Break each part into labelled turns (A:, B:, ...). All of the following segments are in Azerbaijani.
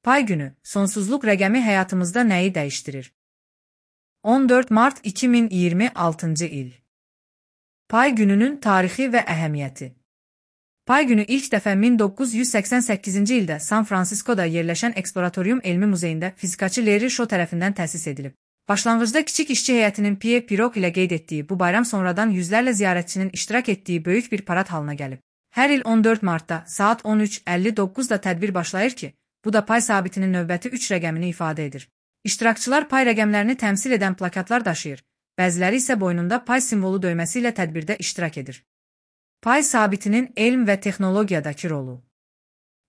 A: Pay günü, sonsuzluq rəqəmi həyatımızda nəyi dəyişdirir? 14 Mart 2026 il. Pay gününün tarixi və əhəmiyyəti. Pay günü ilk dəfə 1988-ci ildə San Fransiskoda yerləşən Eksploratorium Elmi Muzeyində fizikaçı Larry Shaw tərəfindən təsis edilib. Başlanğıcda kiçik işçi heyətinin Pierre Pirog ilə qeyd etdiyi bu bayram sonradan yüzlərlə ziyarətçinin iştirak etdiyi böyük bir parad halına gəlib. Hər il 14 Martda saat 13:59-da tədbir başlayır ki, bu da pay sabitinin növbəti 3 rəqəmini ifadə edir. İştirakçılar pay rəqəmlərini təmsil edən plakatlar daşıyır, bəziləri isə boynunda pay simvolu döyməsi ilə tədbirdə iştirak edir. Pay sabitinin elm və texnologiyadakı rolu.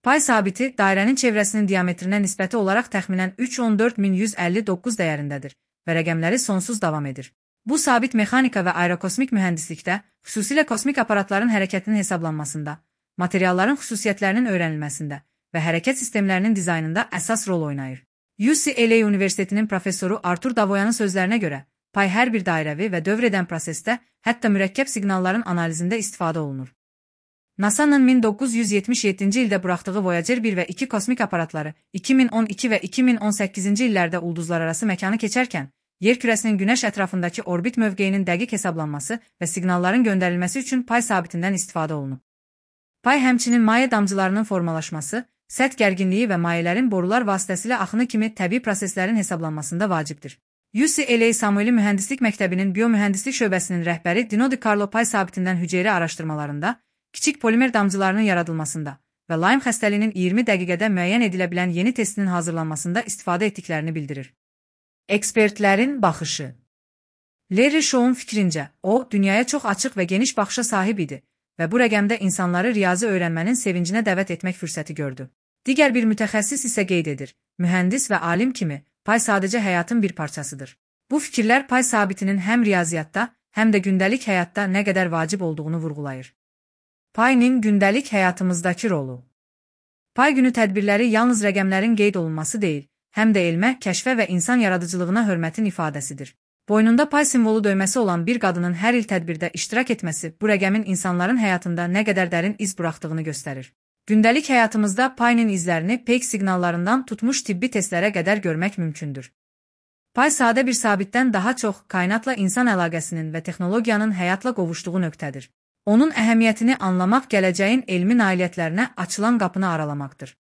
A: Pay sabiti dairənin çevrəsinin diametrinə nisbəti olaraq təxminən 314.159 dəyərindədir və rəqəmləri sonsuz davam edir. Bu sabit mexanika və aerokosmik mühəndislikdə, xüsusilə kosmik aparatların hərəkətinin hesablanmasında, materialların xüsusiyyətlərinin öyrənilməsində və hərəkət sistemlərinin dizaynında əsas rol oynayır. UCLA Universitetinin professoru Artur Davoyanın sözlərinə görə, pay hər bir dairəvi və dövr edən prosesdə, hətta mürəkkəb siqnalların analizində istifadə olunur. NASA-nın 1977-ci ildə buraxdığı Voyager 1 və 2 kosmik aparatları 2012 və 2018-ci illərdə ulduzlararası məkanı keçərkən, yer kürəsinin Günəş ətrafındakı orbit mövqeyinin dəqiq hesablanması və siqnalların göndərilməsi üçün pay sabitindən istifadə olunub. Pay həmçinin maye damcılarının formalaşması, səth gərginliyi və mayələrin borular vasitəsilə axını kimi təbii proseslərin hesablanmasında vacibdir. UCLA Samueli Mühəndislik Məktəbinin Biomühəndislik şöbəsinin rəhbəri Dino Di Carlo pay sabitindən hüceyrə araşdırmalarında, kiçik polimer damcılarının yaradılmasında və Lyme xəstəliyinin 20 dəqiqədə müəyyən edilə bilən yeni testinin hazırlanmasında istifadə etdiklərini bildirir. Ekspertlərin baxışı. Larry Shaw'un fikrincə, o, dünyaya çox açıq və geniş baxışa sahib idi və bu rəqəmdə insanları riyazi öyrənmənin sevincinə dəvət etmək fürsəti gördü. Digər bir mütəxəssis isə qeyd edir, mühəndis və alim kimi, pay sadəcə həyatın bir parçasıdır. Bu fikirlər pay sabitinin həm riyaziyyatda, həm də gündəlik həyatda nə qədər vacib olduğunu vurğulayır. Payın gündəlik həyatımızdakı rolu. Pay günü tədbirləri yalnız rəqəmlərin qeyd olunması deyil, həm də elmə, kəşfə və insan yaradıcılığına hörmətin ifadəsidir. Boynunda pay simvolu döyməsi olan bir qadının hər il tədbirdə iştirak etməsi bu rəqəmin insanların həyatında nə qədər dərin iz buraxdığını göstərir. Gündəlik həyatımızda payın izlərini peyk siqnallarından tutmuş tibbi testlərə qədər görmək mümkündür. Pay sadə bir sabitdən daha çox kainatla insan əlaqəsinin və texnologiyanın həyatla qovuşduğu nöqtədir. Onun əhəmiyyətini anlamaq gələcəyin elmi nailiyyətlərinə açılan qapını aralamaqdır.